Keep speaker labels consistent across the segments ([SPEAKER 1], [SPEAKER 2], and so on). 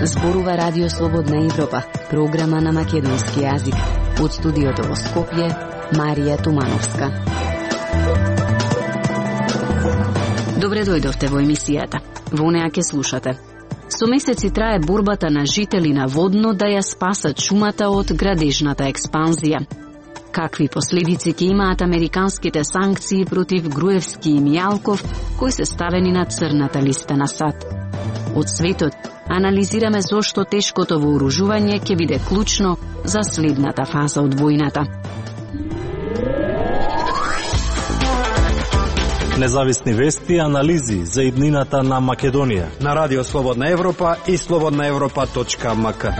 [SPEAKER 1] Зборува Радио Слободна Европа, програма на македонски јазик. Од студиото во Скопје, Марија Тумановска. Добре дојдовте во емисијата. Во неа ќе слушате. Со месеци трае борбата на жители на Водно да ја спасат шумата од градежната експанзија. Какви последици ќе имаат американските санкции против Груевски и Мијалков, кои се ставени на црната листа на САД? Од светот анализираме зошто тешкото вооружување ќе биде клучно за следната фаза од војната.
[SPEAKER 2] Независни вести и анализи за иднината на Македонија
[SPEAKER 3] на Радио Слободна Европа и slobodnaevropa.mk.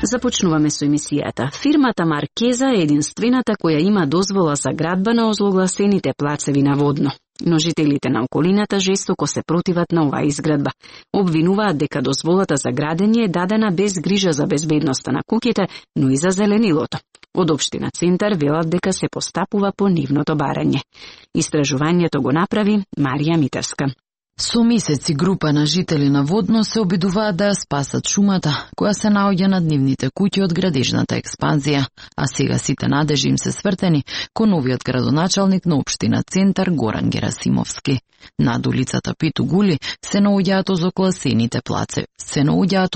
[SPEAKER 1] Започнуваме со емисијата. Фирмата Маркеза е единствената која има дозвола за градба на озлогласените плацеви на Водно. Но жителите на околината жестоко се противат на оваа изградба. Обвинуваат дека дозволата за градење е дадена без грижа за безбедноста на куќите, но и за зеленилото. Од општина Центар велат дека се постапува по нивното барање. Истражувањето го направи Марија Митевска.
[SPEAKER 4] Со месеци група на жители на Водно се обидуваат да ја спасат шумата, која се наоѓа над нивните куќи од градежната експанзија, а сега сите надежи им се свртени кон новиот градоначалник на општина Центар Горан Герасимовски. Над улицата Питу Гули се наоѓаат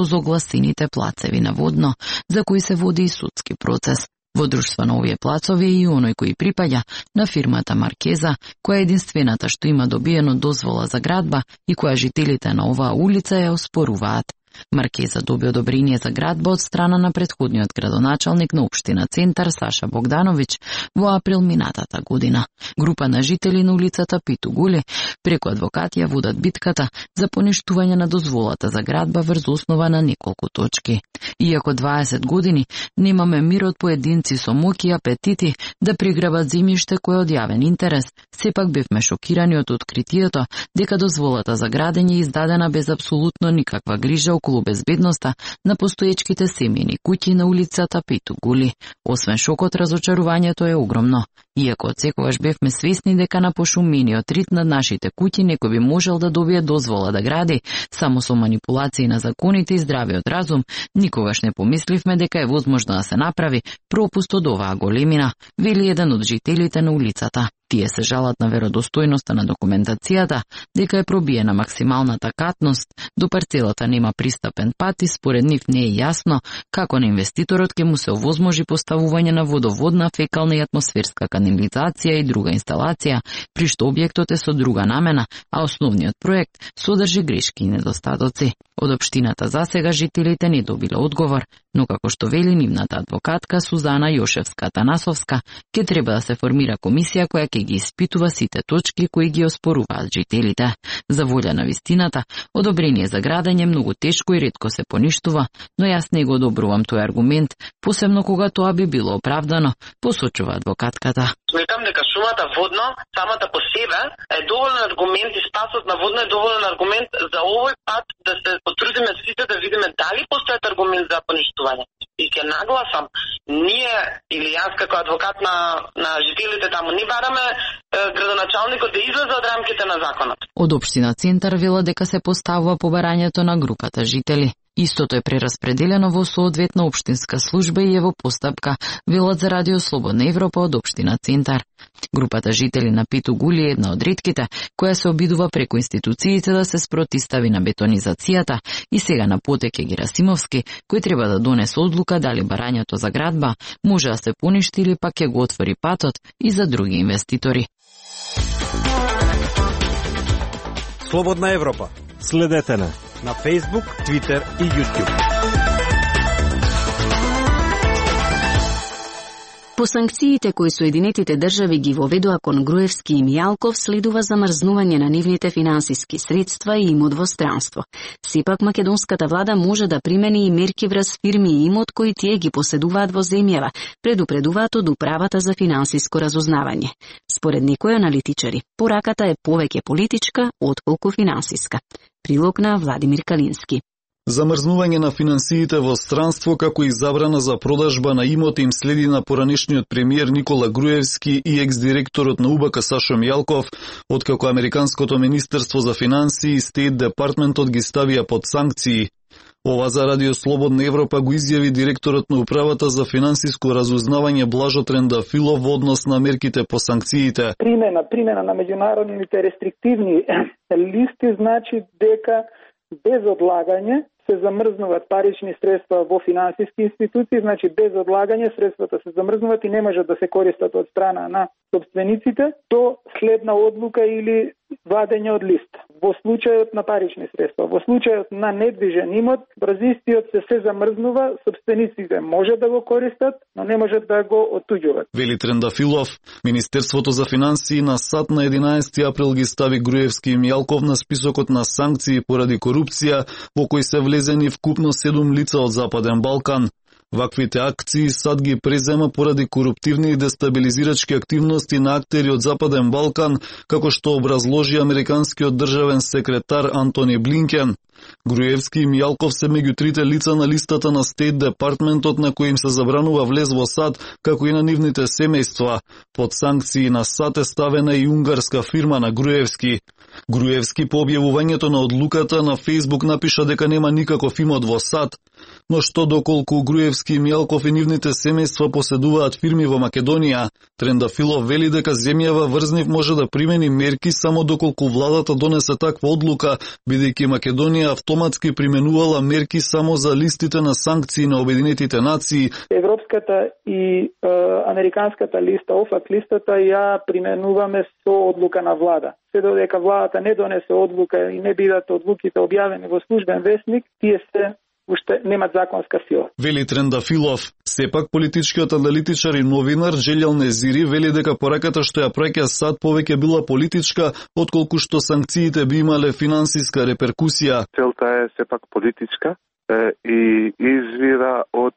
[SPEAKER 4] озогласените плацеви на Водно, за кои се води и судски процес. Во друштво на овие плацови е и оној кој припаѓа на фирмата Маркеза, која е единствената што има добиено дозвола за градба и која жителите на оваа улица ја оспоруваат. Маркеза доби одобрение за градба од страна на претходниот градоначалник на општина Центар Саша Богдановиќ во април минатата година. Група на жители на улицата Питу Гули преку адвокати ја водат битката за поништување на дозволата за градба врз основа на неколку точки. Иако 20 години немаме мир од поединци со моќи и апетити да приграбат земјиште кое од јавен интерес, сепак бевме шокирани од откритието дека дозволата за градење е издадена без апсолутно никаква грижа околу безбедноста на постоечките семејни куќи на улицата Питу Гули. Освен шокот, разочарувањето е огромно. Иако отсекогаш бевме свесни дека на пошумениот рит над нашите куќи некој би можел да добие дозвола да гради, само со манипулации на законите и здравиот разум, никогаш не помисливме дека е возможно да се направи пропуст од оваа големина, вели еден од жителите на улицата. Тие се жалат на веродостојноста на документацијата, дека е пробиена максималната катност, до парцелата нема пристапен пат и според нив не е јасно како на инвеститорот ќе му се овозможи поставување на водоводна, фекална и атмосферска канализација и друга инсталација, при што објектот е со друга намена, а основниот проект содржи грешки и недостатоци. Од општината засега жителите не добиле одговор, но како што вели нивната адвокатка Сузана Јошевска-Танасовска, ќе треба да се формира комисија која ќе ги испитува сите точки кои ги оспоруваат жителите. За волја на вистината, одобрение за градење многу тешко и ретко се поништува, но јас не го одобрувам тој аргумент, посебно кога тоа би било оправдано, посочува адвокатката.
[SPEAKER 5] Сметам дека шумата Водно, самата по себе, е доволен аргумент и спасот на Водно е доволен аргумент за овој пат да се потрудиме сите да видиме дали постојат аргумент за поништување. И ќе нагласам, ние или јас како адвокат на жителите таму ни бараме градоначалникот да излезе од рамките на законот.
[SPEAKER 4] Од општина Центар вела дека се поставува побарањето на групата жители. Истото е прераспределено во соодветна општинска служба и е во постапка, велат за Радио Слободна Европа од општина Центар. Групата жители на Питу Гули е една од ретките која се обидува преку институциите да се спротистави на бетонизацијата и сега на потек е Герасимовски, кој треба да донесе одлука дали барањето за градба може да се поништи или пак ќе го отвори патот и за други инвеститори.
[SPEAKER 3] Слободна Европа.
[SPEAKER 2] Следете не
[SPEAKER 3] на Facebook, Twitter и YouTube.
[SPEAKER 1] По санкциите кои Соединетите држави ги воведоа кон Груевски и Мијалков следува замрзнување на нивните финансиски средства и имот во странство. Сепак македонската влада може да примени и мерки врз фирми и имот кои тие ги поседуваат во земјава, предупредуваат од Управата за финансиско разузнавање. Според некои аналитичари, пораката е повеќе политичка отколку финансиска. Прилог на Владимир Калински.
[SPEAKER 6] Замрзнување на финансиите во странство како и забрана за продажба на имоти им следи на поранешниот премиер Никола Груевски и екс-директорот на УБК Сашо Мијалков, откако Американското министерство за финансии и Стейт департментот ги ставија под санкции. Ова за Радио Слободна Европа го изјави директорот на Управата за финансиско разузнавање Блажо Трендафилов во однос на мерките по санкциите.
[SPEAKER 7] Примена на меѓународните рестриктивни листи значи дека без одлагање се замрзнуваат парични средства во финансиски институции, значи без одлагање средствата се замрзнуваат и не можат да се користат од страна на собствениците до следна одлука или вадење од лист. Во случајот на парични средства, во случајот на недвижен имот, бразистиот се замрзнува, собствениците може да го користат, но не можат да го оттуѓуваат.
[SPEAKER 6] Вели Трендафилов, Министерството за финансии на САД на 11 април ги стави Груевски и Мијалков на списокот на санкции поради корупција, во кој се влезени вкупно 7 лица од Западен Балкан. Ваквите акции САД ги презема поради коруптивни и дестабилизирачки активности на актери од Западен Балкан, како што образложи американскиот државен секретар Антони Блинкен. Груевски и Мијалков се меѓу трите лица на листата на Стейт департментот на кој им се забранува влез во САД, како и на нивните семејства. Под санкции на САД е ставена и унгарска фирма на Груевски. Груевски по објавувањето на одлуката на Фејсбук напиша дека нема никаков имот во САД, но што доколку Груевски и Мијалков и нивните семејства поседуваат фирми во Македонија, Трендафилов вели дека земјава врз нив може да примени мерки само доколку владата донесе таква одлука, бидејќи Македонија автоматски применувала мерки само за листите на санкции на Обединетите нации.
[SPEAKER 7] Европската и американската листа, ОФАК листата ја применуваме со одлука на влада. Се додека владата не донесе одлука и не бидат одлуките објавени во службен весник, тие се уште немат законска сила.
[SPEAKER 6] Вели Трендафилов. Сепак политичкиот аналитичар и новинар Желјал Незири вели дека пораката што ја праќа САД повеќе била политичка, отколку што санкциите би имале финансиска реперкусија.
[SPEAKER 8] Целта е сепак политичка и извира од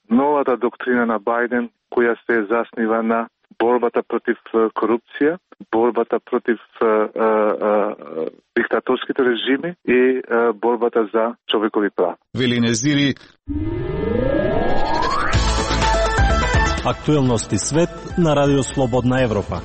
[SPEAKER 8] новата доктрина на Бајден, која се заснива на борбата против корупција, борбата против диктаторските режими и борбата за човекови права.
[SPEAKER 6] Вели Незири.
[SPEAKER 2] Актуелности свет на Радио Слободна Европа.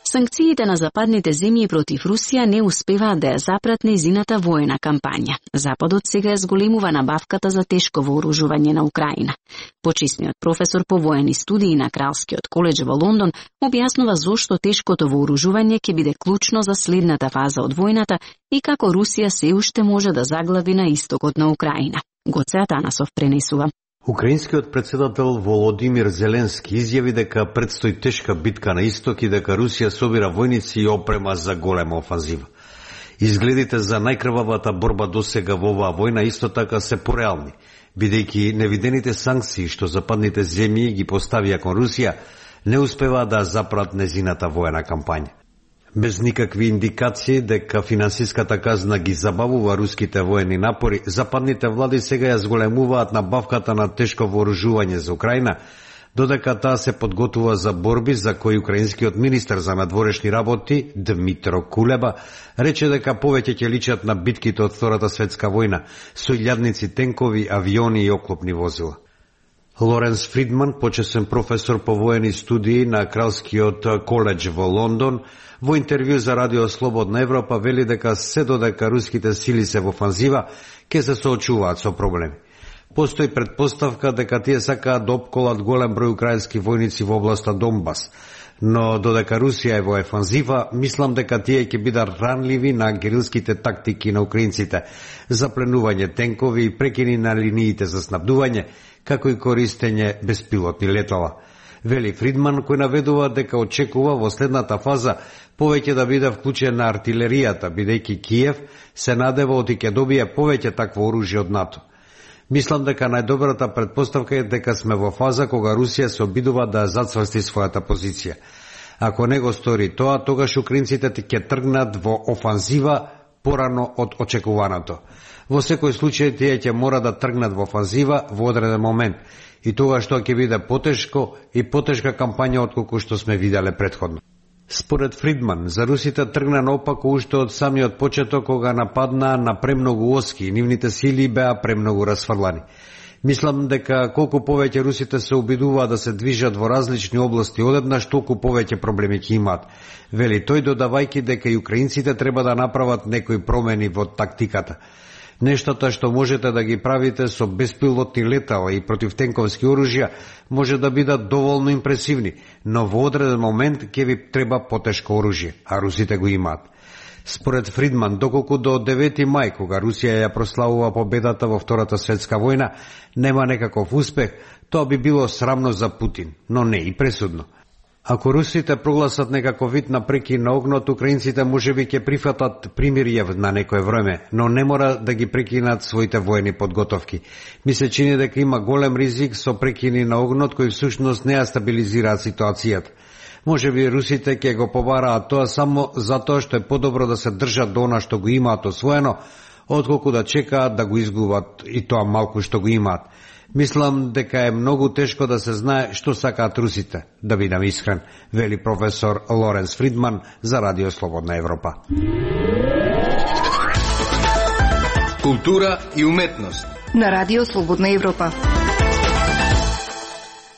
[SPEAKER 1] Санкциите на западните земји против Русија не успеваат да ја запрат нејзината воена кампања. Западот сега ја зголемува набавката за тешко вооружување на Украина. Почисниот професор по воени студии на Кралскиот коледж во Лондон објаснува зошто тешкото вооружување ќе биде клучно за следната фаза од војната и како Русија се уште може да заглави на истокот на Украина. Гоце Атанасов пренесува.
[SPEAKER 9] Украинскиот председател Володимир Зеленски изјави дека предстои тешка битка на исток и дека Русија собира војници и опрема за голема офанзива. Изгледите за најкрвавата борба досега во оваа војна исто така се пореални, бидејќи невидените санкции што западните земји ги поставија кон Русија не успеваат да запрат незината воена кампања. Без никакви индикации дека финансиската казна ги забавува руските воени напори, западните влади сега ја зголемуваат набавката на тешко вооружување за Украина, додека таа се подготвува за борби за кои украинскиот министер за надворешни работи Дмитро Кулеба рече дека повеќе ќе личат на битките од Втората светска војна со илјадници тенкови, авиони и оклопни возила. Лоренс Фридман, почесен професор по воени студии на Кралскиот коледж во Лондон, во интервју за Радио Слободна Европа вели дека се додека руските сили се во офанзива, ќе се соочуваат со проблеми. Постои предпоставка дека тие сакаат да опколат голем број украински војници во областа Донбас, но додека Русија е во офанзива, мислам дека тие ќе бидат ранливи на герилските тактики на украинците за пленување тенкови и прекини на линиите за снабдување, како и користење беспилотни летала. Вели Фридман, кој наведува дека очекува во следната фаза повеќе да биде вклучена артилеријата, бидејќи Киев се надева оти ќе добие повеќе такво оружје од НАТО. Мислам дека најдобрата предпоставка е дека сме во фаза кога Русија се обидува да зацврсти својата позиција. Ако не го стори тоа, тогаш украинците ќе тргнат во офанзива порано од очекуваното. Во секој случај тие ќе мора да тргнат во офанзива во одреден момент и тогаш тоа ќе биде потешко и потешка кампања отколку што сме виделе претходно. Според Фридман, за русите тргна наопако уште од самиот почеток кога нападнаа на премногу оски и нивните сили беа премногу расфрлани. Мислам дека колку повеќе русите се обидуваат да се движат во различни области одеднаш, толку повеќе проблеми ќе имаат. Вели тој, додавајќи дека и украинците треба да направат некои промени во тактиката. Нештата што можете да ги правите со беспилотни летала и противтенковски оружја може да бидат доволно импресивни, но во одреден момент ќе ви треба потешко оружје, а русите го имаат. Според Фридман, доколку до 9 мај, кога Русија ја прославува победата во Втората светска војна, нема некаков успех, тоа би било срамно за Путин, но не и пресудно. Ако русите прогласат некаков вид на прекин на огнот, украинците можеби ќе прифатат примирје на некое време, но не мора да ги прекинат своите воени подготовки. Ми се чини дека има голем ризик со прекини на огнот кои всушност не ја стабилизираат ситуацијата. Можеби русите ќе го побараат тоа само затоа што е подобро да се држат до она што го имаат освоено, отколку да чекаат да го изгубат и тоа малку што го имаат. Мислам дека е многу тешко да се знае што сакаат русите, да бидам искрен, вели професор Лоренс Фридман за Радио Слободна Европа.
[SPEAKER 10] Култура и уметност
[SPEAKER 11] на Радио Слободна Европа.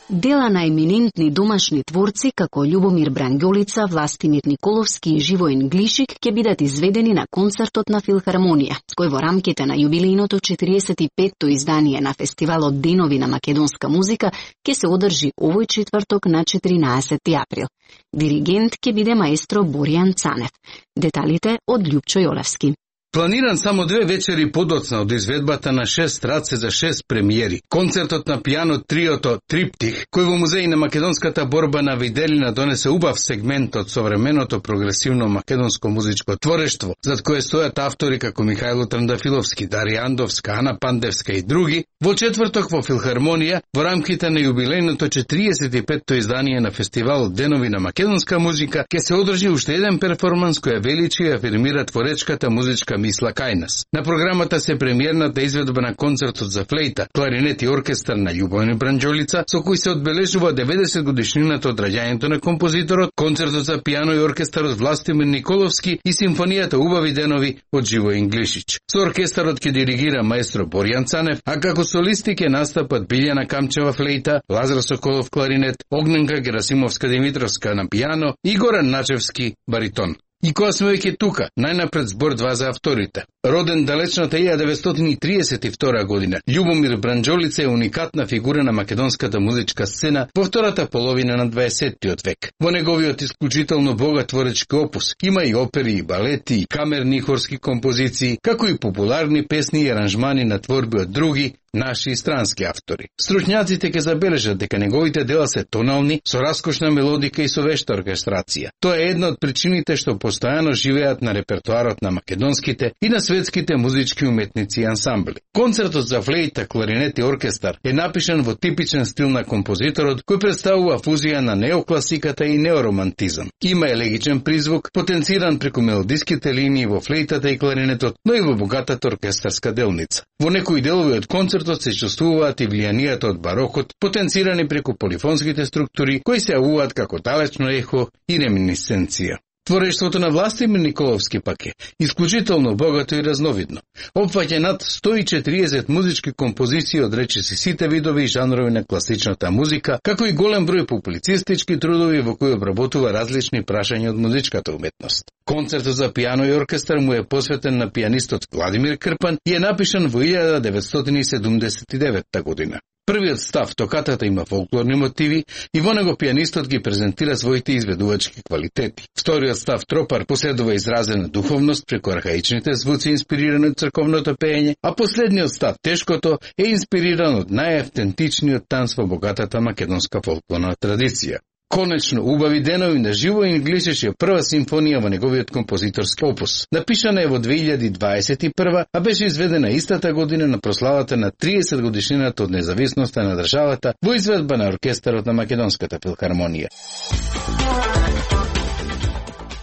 [SPEAKER 1] Дела на еминентни домашни творци како Љубомир Бранѓолица, Властимир Николовски и Живоин Глишик ќе бидат изведени на концертот на Филхармонија, кој во рамките на јубилејното 45-то издание на фестивалот Денови на македонска музика ќе се одржи овој четврток на 14 април. Диригент ќе биде маестро Боријан Цанев. Деталите од Љупчо Јолевски.
[SPEAKER 10] Планиран само 2 вечери подоцна од изведбата на 6 раце за 6 премиери. Концертот на пијано триото Триптих, кој во музеј на македонската борба на Виделина донесе убав сегмент од современото прогресивно македонско музичко творештво, зад кое стојат автори како Михајло Трандафиловски, Дарија Андовска, Ана Пандевска и други, во четврток во Филхармонија, во рамките на јубилејното 45-то издание на фестивалот Денови на македонска музика, ќе се одржи уште еден перформанс која величи и афирмира творечката музичка мисла кај нас. На програмата се премиерната изведба на концертот за флейта, кларинет и оркестар на Љубомир Бранѓолица, со кој се одбележува 90 годишнината од раѓањето на композиторот, концертот за пијано и оркестар од Властимир Николовски и симфонијата Убави денови од Живоин Глишич. Со оркестарот ќе диригира маестро Боријан Цанев, а како солисти ќе настапат Билјана Камчева флейта, Лазар Соколов кларинет, Огненка Герасимовска Димитровска на пијано и Горан Начевски баритон. И кога сме веќе тука, најнапред збор 2 за авторите. Роден далечната 1932 година, Љубомир Бранѓолица е уникатна фигура на македонската музичка сцена во втората половина на 20-тиот век. Во неговиот исклучително богат творечки опус има и опери, и балети, и камерни и хорски композиции, како и популарни песни и аранжмани на творби од други, наши и странски автори. Стручњаците ќе забележат дека неговите дела се тонални, со раскошна мелодика и со вешта оркестрација. Тоа е една од причините што постојано живеат на репертоарот на македонските и на светските музички уметници и ансамбли. Концертот за флейта, кларинет и оркестар е напишан во типичен стил на композиторот, кој представува фузија на неокласиката и неоромантизам. Има елегичен призвук, потенциран преку мелодиските линии во флейтата и кларинетот, но и во богатата оркестарска делница. Во некои делови од концертот се чувствуваат и влијанијата од барокот, потенцирани преку полифонските структури, кои се јавуваат како далечно ехо и реминисценција. Творештвото на Властимир Николовски пак е исклучително богато и разновидно. Опфаќа над 140 музички композиции од речиси сите видови и жанрови на класичната музика, како и голем број публицистички трудови во кои обработува различни прашања од музичката уметност. Концертот за пијано и оркестар му е посветен на пијанистот Владимир Крпан и е напишан во 1979 година. Првиот став, токатата, има фолклорни мотиви и во него пијанистот ги презентира своите изведувачки квалитети. Вториот став, тропар, поседува изразена духовност преку архаичните звуци инспирирани од црковното пеење, а последниот став, тешкото, е инспириран од најавтентичниот танц во богатата македонска фолклорна традиција. Конечно, Убави денови на Живоин Глишич е прва симфонија во неговиот композиторски опус. Напишана е во 2021, а беше изведена истата година на прославата на 30 годишнината од независноста на државата во изведба на оркестарот на Македонската филхармонија.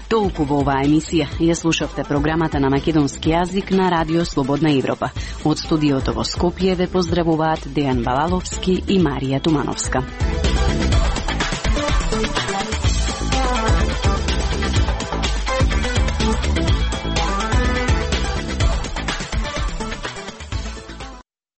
[SPEAKER 1] Толку во оваа емисија. Ја слушавте програмата на македонски јазик на Радио Слободна Европа. Од студиото во Скопје ве поздравуваат Дејан Балаловски и Марија Тумановска.